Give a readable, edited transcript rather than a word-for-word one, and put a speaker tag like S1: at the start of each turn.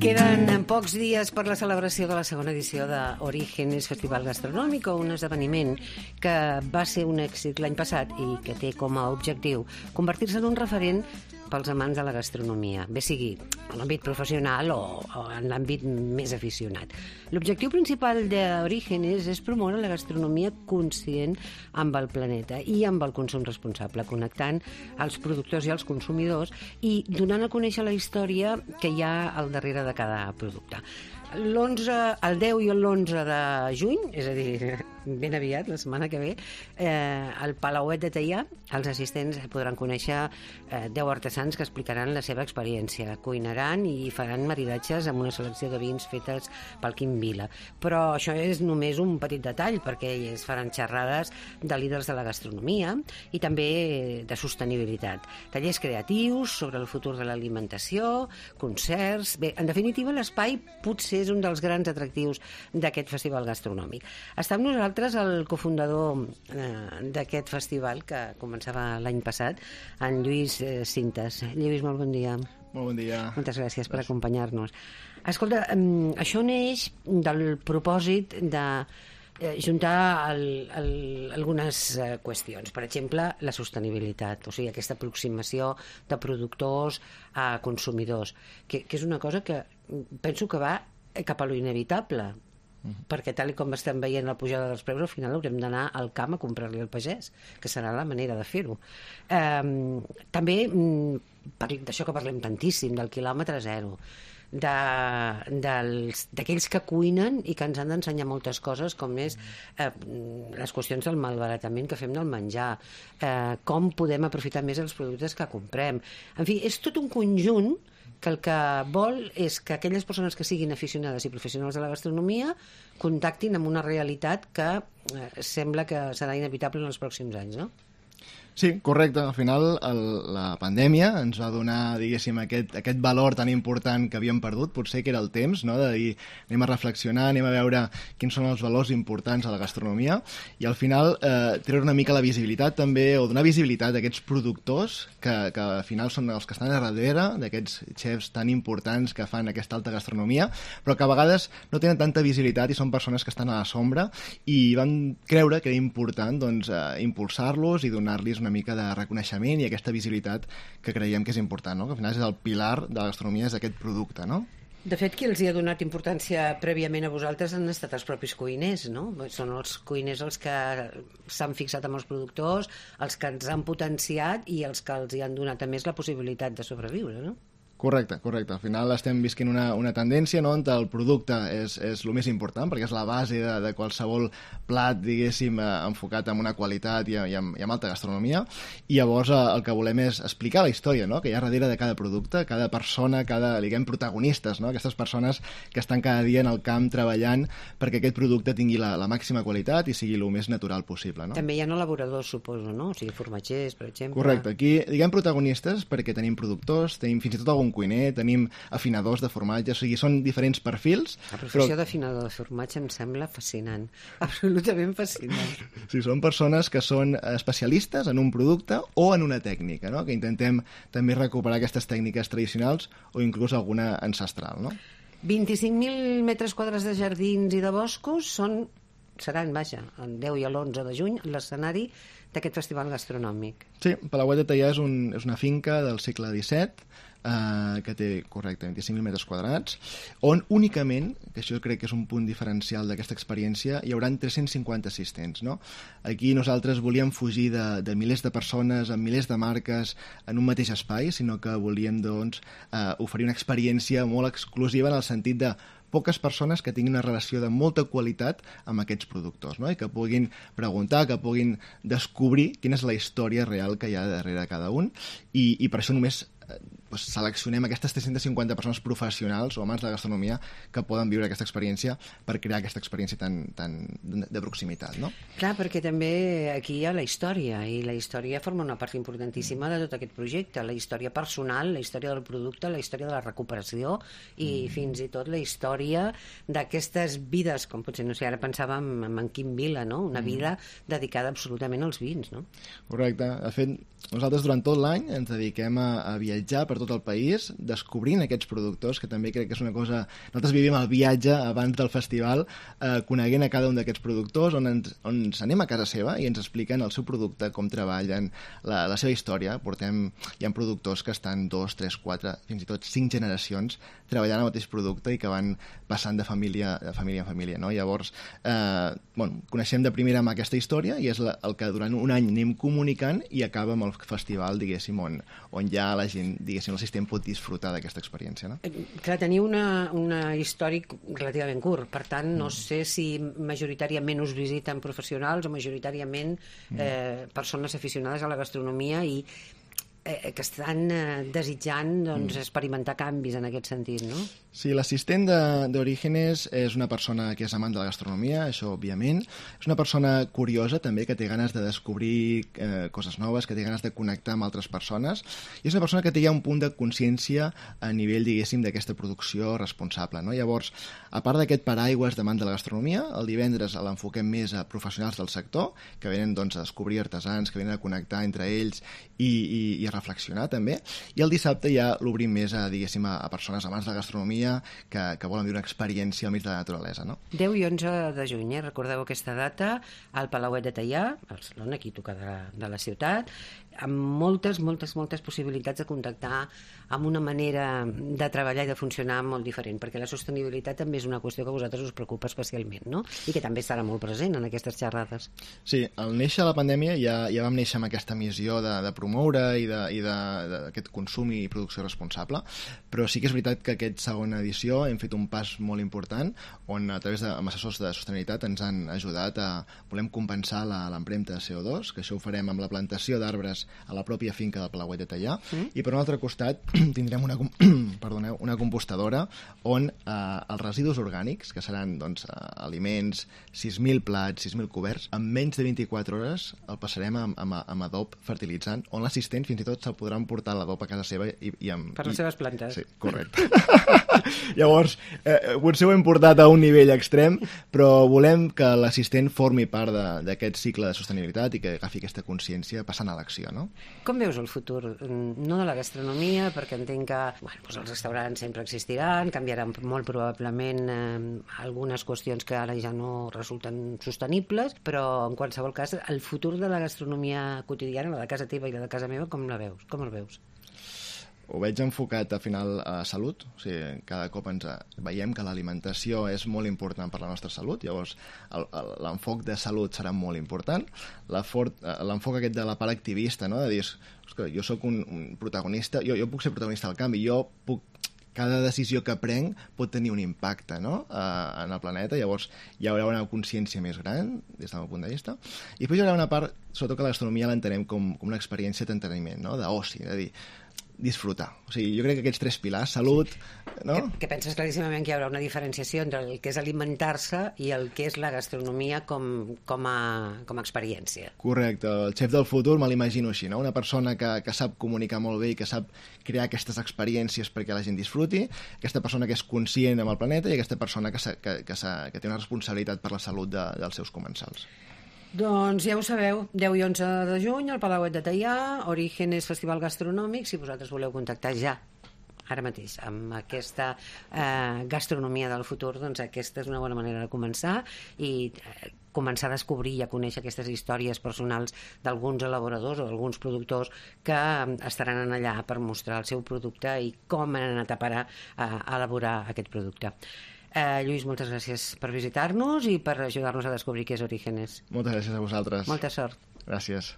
S1: Queden pocs dies per la celebració de la segona edició d'Orígenes Festival Gastronòmic, un esdeveniment que va ser un èxit l'any passat i que té com a objectiu convertir-se en un referent pels amants de la gastronomia, bé sigui en l'àmbit professional o en l'àmbit més aficionat. L'objectiu principal d'Orígenes és promoure la gastronomia conscient amb el planeta i amb el consum responsable, connectant els productors i els consumidors i donant a conèixer la història que hi ha al darrere de cada producte. El 10 i l'11 de juny, és a dir, ben aviat, la setmana que ve, al Palauet de Teià, els assistents podran conèixer 10 artesans que explicaran la seva experiència, cuinaran i faran maridatges amb una selecció de vins fetes pel Quim Vila. Però això és només un petit detall, perquè es faran xerrades de líders de la gastronomia i també de sostenibilitat. Tallers creatius sobre el futur de l'alimentació, concerts... Bé, en definitiva, l'espai potser és un dels grans atractius d'aquest festival gastronòmic. Està amb nosaltres el cofundador d'aquest festival, que començava l'any passat, en Lluís Cintas. Lluís, molt bon dia.
S2: Molt bon dia.
S1: Moltes gràcies per acompanyar-nos. Escolta, això neix del propòsit de juntar algunes qüestions. Per exemple, la sostenibilitat, o sigui, aquesta aproximació de productors a consumidors, que és una cosa que penso que va cap a lo inevitable, perquè tal com estem veient la pujada dels preus, al final haurem d'anar al camp a comprar-li al pagès, que serà la manera de fer-ho. També d'això que parlem tantíssim, del quilòmetre zero, d'aquells que cuinen i que ens han d'ensenyar moltes coses, com és les qüestions del malbaratament que fem del menjar, com podem aprofitar més els productes que comprem. En fi, és tot un conjunt que el que vol és que aquelles persones que siguin aficionades i professionals de la gastronomia contactin amb una realitat que sembla que serà inevitable en els pròxims anys, no?
S2: Sí, correcte. Al final la pandèmia ens va donar, diguéssim, aquest valor tan important que havíem perdut, potser que era el temps, no? De dir, anem a reflexionar, anem a veure quins són els valors importants a la gastronomia i al final treure una mica la visibilitat també, o donar visibilitat a aquests productors que al final són els que estan a darrere d'aquests xefs tan importants que fan aquesta alta gastronomia, però que a vegades no tenen tanta visibilitat i són persones que estan a la sombra i van creure que era important doncs, impulsar-los i donar-los una mica de reconeixement i aquesta visibilitat que creiem que és important, no? Que al final és el pilar de la gastronomia, és aquest producte, no?
S1: De fet, qui els hi ha donat importància prèviament a vosaltres han estat els propis cuiners, no? Són els cuiners els que s'han fixat amb els productors, els que ens han potenciat i els que els hi han donat a més la possibilitat de sobreviure, no?
S2: Correcte. Al final estem visquent una tendència, no?, on el producte és el més important, perquè és la base de qualsevol plat, diguéssim, enfocat en una qualitat i amb alta gastronomia, i llavors el que volem és explicar la història, no?, que hi ha darrere de cada producte, cada persona, diguem, protagonistes, no?, aquestes persones que estan cada dia en el camp treballant perquè aquest producte tingui la màxima qualitat i sigui el més natural possible, no?
S1: També hi ha elaboradors, suposo, no? O sigui, formatgers, per exemple.
S2: Correcte. Aquí, diguem, protagonistes perquè tenim productors, tenim fins i tot algun cuiner, tenim afinadors de formatge, o sigui, són diferents perfils.
S1: La professió d'afinador de formatge em sembla fascinant, absolutament fascinant.
S2: Sí, són persones que són especialistes en un producte o en una tècnica, no?, que intentem també recuperar aquestes tècniques tradicionals o inclús alguna ancestral, no?
S1: 25.000 metres quadrats de jardins i de boscos seran, el 10 i l'11 de juny, l'escenari d'aquest festival gastronòmic.
S2: Sí, Palauet de Teià és una finca del segle XVII, que té, correcte, 25.000 metres quadrats, on únicament, que això crec que és un punt diferencial d'aquesta experiència, hi haurà 350 assistents, no? Aquí nosaltres volíem fugir de milers de persones amb milers de marques en un mateix espai, sinó que volíem, doncs, oferir una experiència molt exclusiva en el sentit de poques persones que tinguin una relació de molta qualitat amb aquests productors, no? I que puguin preguntar, que puguin descobrir quina és la història real que hi ha darrere de cada un, i per això només seleccionem aquestes 350 persones professionals o amants de la gastronomia que poden viure aquesta experiència per crear aquesta experiència tan de proximitat, no?
S1: Clar, perquè també aquí hi ha la història, i la història forma una part importantíssima de tot aquest projecte, la història personal, la història del producte, la història de la recuperació i fins i tot la història d'aquestes vides, com potser, no sé, ara pensàvem en Quim Vila, no? Una vida dedicada absolutament als vins, no?
S2: Correcte. De fet, nosaltres durant tot l'any ens dediquem a viatjar viatjar per tot el país, descobrint aquests productors, que també crec que és una cosa... Nosaltres vivim el viatge abans del festival, coneguent a cada un d'aquests productors, on ens anem a casa seva i ens expliquen el seu producte, com treballen, la seva història. Hi ha productors que estan 2, 3, 4, fins i tot 5 generacions treballant el mateix producte i que van passant de família en família, no? Llavors, coneixem de primera mà aquesta història i és el que durant un any anem comunicant i acaba amb el festival, diguéssim, on ja la gent, diguéssim, l'assistent pot disfrutar d'aquesta experiència, no?
S1: Clar, teniu un històric relativament curt, per tant, no sé si majoritàriament us visiten professionals o majoritàriament persones aficionades a la gastronomia i que estan desitjant experimentar canvis en aquest sentit, no?
S2: Sí, l'assistent d'Orígenes és una persona que és amant de la gastronomia, això òbviament. És una persona curiosa també, que té ganes de descobrir coses noves, que té ganes de connectar amb altres persones, i és una persona que té ja un punt de consciència a nivell, diguéssim, d'aquesta producció responsable, no? Llavors, a part d'aquest paraigües d'amant de la gastronomia, el divendres l'enfoquem més a professionals del sector, que venen doncs, a descobrir artesans, que venen a connectar entre ells i a reflexionar també, i el dissabte ja l'obrim més a, diguéssim, a persones amants de la gastronomia que volen viure una experiència al mig de la naturalesa, no?
S1: 10 i 11 de juny, recordeu aquesta data, al Palauet de Teià, a Barcelona, aquí toca de la ciutat, amb moltes possibilitats de contactar amb una manera de treballar i de funcionar molt diferent, perquè la sostenibilitat també és una qüestió que a vosaltres us preocupa especialment, no? I que també estarà molt present en aquestes xerrades.
S2: Sí, al néixer la pandèmia ja vam néixer amb aquesta missió de promoure i d'aquest consum i producció responsable, però sí que és veritat que aquesta segona edició hem fet un pas molt important on a través amb assessors de sostenibilitat ens han ajudat volem compensar l'empremta de CO2, que això ho farem amb la plantació d'arbres a la pròpia finca del Palauet de Teià, i per un altre costat tindrem una compostadora on els residus orgànics, que seran doncs, aliments, 6.000 plats, 6.000 coberts, en menys de 24 hores el passarem amb adob fertilitzant, on l'assistent fins i tot se'l podrà emportar l'adob a casa seva
S1: per les seves plantes.
S2: Sí, correcte. Llavors, potser ho hem portat a un nivell extrem, però volem que l'assistent formi part d'aquest cicle de sostenibilitat i que agafi aquesta consciència passant a l'acció, no?
S1: Com veus el futur? No de la gastronomia, perquè entenc que els restaurants sempre existiran, canviaran molt probablement algunes qüestions que ara ja no resulten sostenibles, però en qualsevol cas, el futur de la gastronomia quotidiana, la de casa teva i la de casa meva, com la veus? Com el veus?
S2: Ho veig enfocat al final a salut, o sigui, cada cop ens veiem que l'alimentació és molt important per la nostra salut, llavors l'enfoc de salut serà molt important, l'enfoc aquest de la part activista, no? De dir, jo sóc un protagonista, jo puc ser protagonista del canvi, cada decisió que prenc pot tenir un impacte, no? En el planeta, llavors hi haurà una consciència més gran des del meu punt de vista, i després hi haurà una part, sobretot que la gastronomia l'entenem com una experiència d'entreteniment, no? D'oci, de dir, disfrutar. O sigui, jo crec que aquests 3 pilars, salut, no?
S1: Que penses claríssimament que hi haurà una diferenciació entre el que és alimentar-se i el que és la gastronomia com a experiència.
S2: Correcte. El xef del futur me l'imagino així, no? Una persona que sap comunicar molt bé i que sap crear aquestes experiències perquè la gent disfruti, aquesta persona que és conscient amb el planeta i aquesta persona que té una responsabilitat per la salut dels seus comensals.
S1: Doncs ja ho sabeu, 10 i 11 de juny al Palauet de Teià, Orígenes Festival Gastronòmic, si vosaltres voleu contactar ja, ara mateix, amb aquesta gastronomia del futur, doncs aquesta és una bona manera de començar i començar a descobrir i a conèixer aquestes històries personals d'alguns elaboradors o d'alguns productors que estaran allà per mostrar el seu producte i com han anat a parar a elaborar aquest producte. Lluís, moltes gràcies per visitar-nos i per ajudar-nos a descobrir què és Orígenes.
S2: Moltes gràcies a vosaltres.
S1: Molta sort.
S2: Gràcies.